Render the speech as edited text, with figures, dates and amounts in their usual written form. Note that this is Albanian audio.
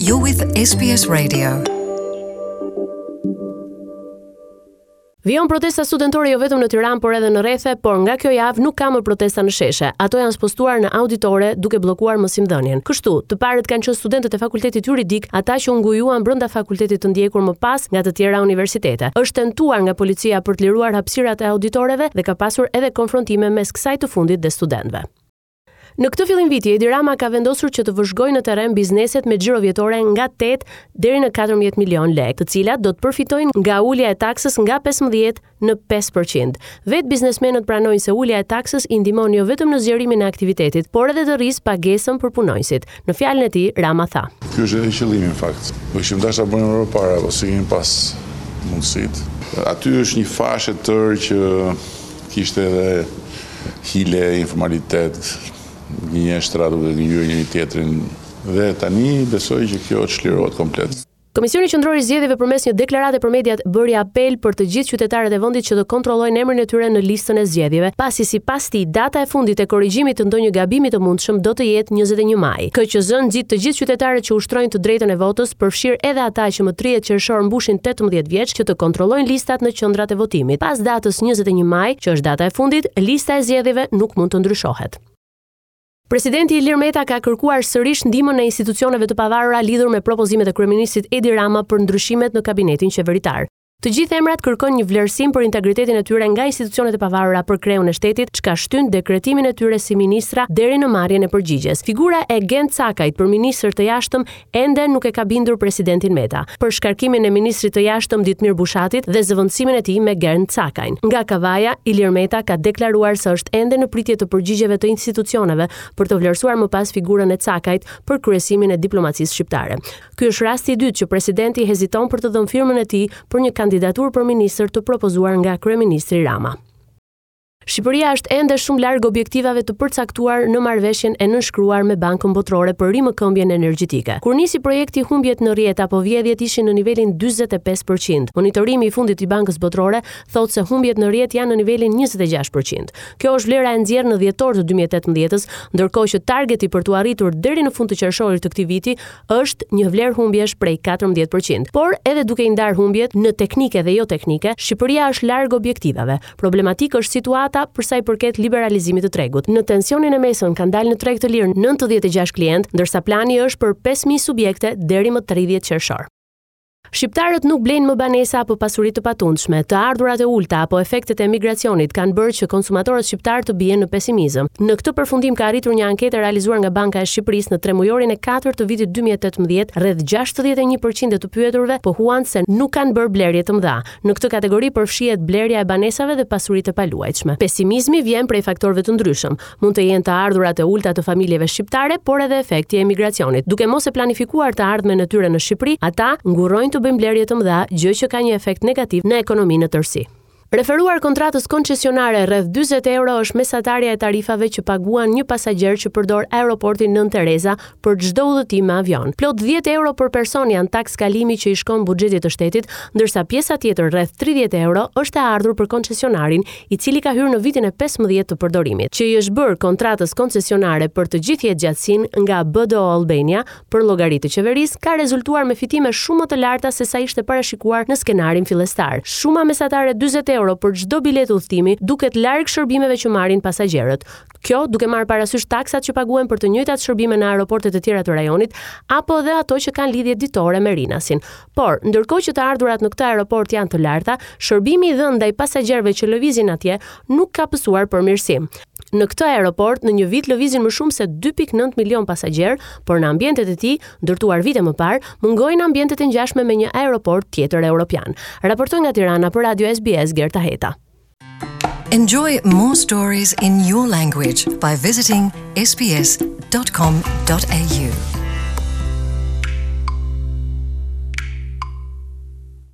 You're with SBS Radio. Vijon protesta studentore jo vetëm në Tiranë, por edhe në rrethe, por nga kjo javë nuk ka më protesta në sheshe. Ato janë spostuar në auditore duke bllokuar mësimdhënien. Kështu, të parët kanë qenë studentët e Fakultetit Juridik, ata që u ngujuan brenda fakultetit të ndjekur më pas nga të tjera universitete. Është tentuar nga policia për të liruar hapësirat e auditoreve dhe ka pasur edhe konfrontime mes kësaj të fundit dhe studentëve. Në këtë fillim viti, Edi Rama ka vendosur që të vëzhgojë në terren bizneset me xhiro vjetore nga 8 deri në 14 milion lekë, të cilat do të përfitojnë nga ulja e taksës nga 15 në 5%. Vetë biznesmenët pranojnë se ulja e taksës i ndihmon jo vetëm në zgjerimin e aktivitetit, por edhe të rrisë pagesën për punonjësit. Në fjalën e tij, Rama tha. Ky është edhe qëllimi në fakt. Po kishim dashur ta bënim më parë, po s'i kemi pas mundësitë. Aty është një fashë e tërë që kishte edhe hile, informalitet, gënjeshtra duke gënjyer njëri tjetrin dhe tani besoj që kjo çlirohet komplet. Komisioni Qendror i Zgjedhjeve përmes një deklarate për mediat bëri apel për të gjithë qytetarët e vendit që të kontrollojnë emrin e tyre në listën e zgjedhjeve, pasi sipas tij data e fundit e korrigjimit të ndonjë gabimi të mundshëm do të jetë 21 maj. KQZ nxit të gjithë qytetarët që ushtrojnë të drejtën e votës, përfshirë edhe ata që më 30 qershor mbushin 18 vjeç, që të kontrollojnë listat në qendrat e votimit. Pas datës 21 maj, që është data e fundit, lista e zgjedhjeve nuk mund të ndryshohet. Presidenti Ilir Meta ka kërkuar sërish ndihmën e institucioneve të pavarura lidhur me propozimet e kryeministrit Edi Rama për ndryshimet në kabinetin qeveritar. Të gjithë emrat kërkojnë një vlerësim për integritetin e tyre nga institucionet e pavarura për kreun e shtetit, çka shtyn dekretimin e tyre si ministra deri në marrjen e përgjigjes. Figura e Gent Cakajt për ministër të jashtëm ende nuk e ka bindur presidentin Meta për shkarkimin e ministrit të jashtëm Ditmir Bushatit dhe zëvendësimin e tij me Gent Cakajn. Nga Kavaja, Ilir Meta ka deklaruar se është ende në pritje të përgjigjeve të institucioneve për të vlerësuar më pas figurën e Cakajt për kryesimin e diplomacisë shqiptare. Ky është rasti i dytë që presidenti heziton për të dhënë firmën e tij për një kandidaturë për ministër të propozuar nga kryeministri Rama. Shqipëria është ende shumë larg objektivave të përcaktuar në marrëveshjen e nënshkruar me Bankën Botërore për rimëkëmbjen energjetike. Kur nisi projekti humbjet në rrjet apo vjedhjet ishin në nivelin 45%. Monitorimi i fundit i Bankës Botërore thotë se humbjet në rrjet janë në nivelin 26%. Kjo është vlera e nxjerrë në dhjetor të 2018-s, ndërkohë që targeti për t'u arritur deri në fund të qershorit të këtij viti është një vlerë humbjesh prej 14%. Por edhe duke i ndarë humbjet në teknike dhe jo teknike, Shqipëria është larg objektivave. Problematik është situata për sa i përket liberalizimit të tregut. Në tensionin e mesëm kanë dalë në treg të lirë 96 klientë, ndërsa plani është për 5000 subjekte deri më 30 qershor. Shqiptarët nuk blejnë më banesa apo pasuri të patundshme. Të ardhurat e ulëta apo efektet e migracionit kanë bërë që konsumatorët shqiptarë të bien në pesimizëm. Në këtë përfundim ka arritur një anketë e realizuar nga Banka e Shqipërisë në tremujorin e katërt të vitit 2018, rreth 61% e të pyeturve pohuan se nuk kanë bërë blerje të mëdha. Në këtë kategori përfshihet blerja e banesave dhe pasuritë e paluajtshme. Pesimizmi vjen prej faktorëve të ndryshëm. Mund të jenë të ardhurat e ulëta të familjeve shqiptare, por edhe efekti i emigracionit. Duke mos e planifikuar të ardhmen e tyre në Shqipëri, ata ngurrojnë të bëjnë blerje të mëdha, gjë që ka një efekt negativ në ekonominë në tërësi. Referuar kontratës koncesionare, rreth 40 euro është mesatarja e tarifave që paguan një pasagjer që përdor aeroportin Nënë Tereza për çdo udhëtim me avion. Plot 10 euro për person janë taksë kalimi që i shkon buxhetit të shtetit, ndërsa pjesa tjetër rreth 30 euro është e ardhur për koncesionarin, i cili ka hyrë në vitin e 15 të përdorimit, që i është bërë kontratës koncesionare për të gjithë jetëgjatësinë nga BDO Albania për llogari të qeverisë, ka rezultuar me fitime shumë më të larta se sa ishte parashikuar në skenarin fillestar. Shuma mesatare 40 euro për çdo biletë udhëtimi duket larg shërbimeve që marrin pasagjerët. Kjo duke marrë parasysh taksat që paguhen për të njëjtat shërbime në aeroportet e tjera të rajonit apo edhe ato që kanë lidhje ditore me Rinasin. Por, ndërkohë që të ardhurat në këtë aeroport janë të larta, shërbimi i dhënë ndaj pasagjerëve që lëvizin atje nuk ka pësuar përmirësim. Në këtë aeroport në një vit lëvizin më shumë se 2.9 milion pasagjerë, por në ambientet e tij, ndërtuar vite më parë, mungojnë ambientet e ngjashme me një aeroport tjetër europian. Raportoi nga Tirana për Radio SBS Gerta Heta. Enjoy more stories in your language by visiting sbs.com.au.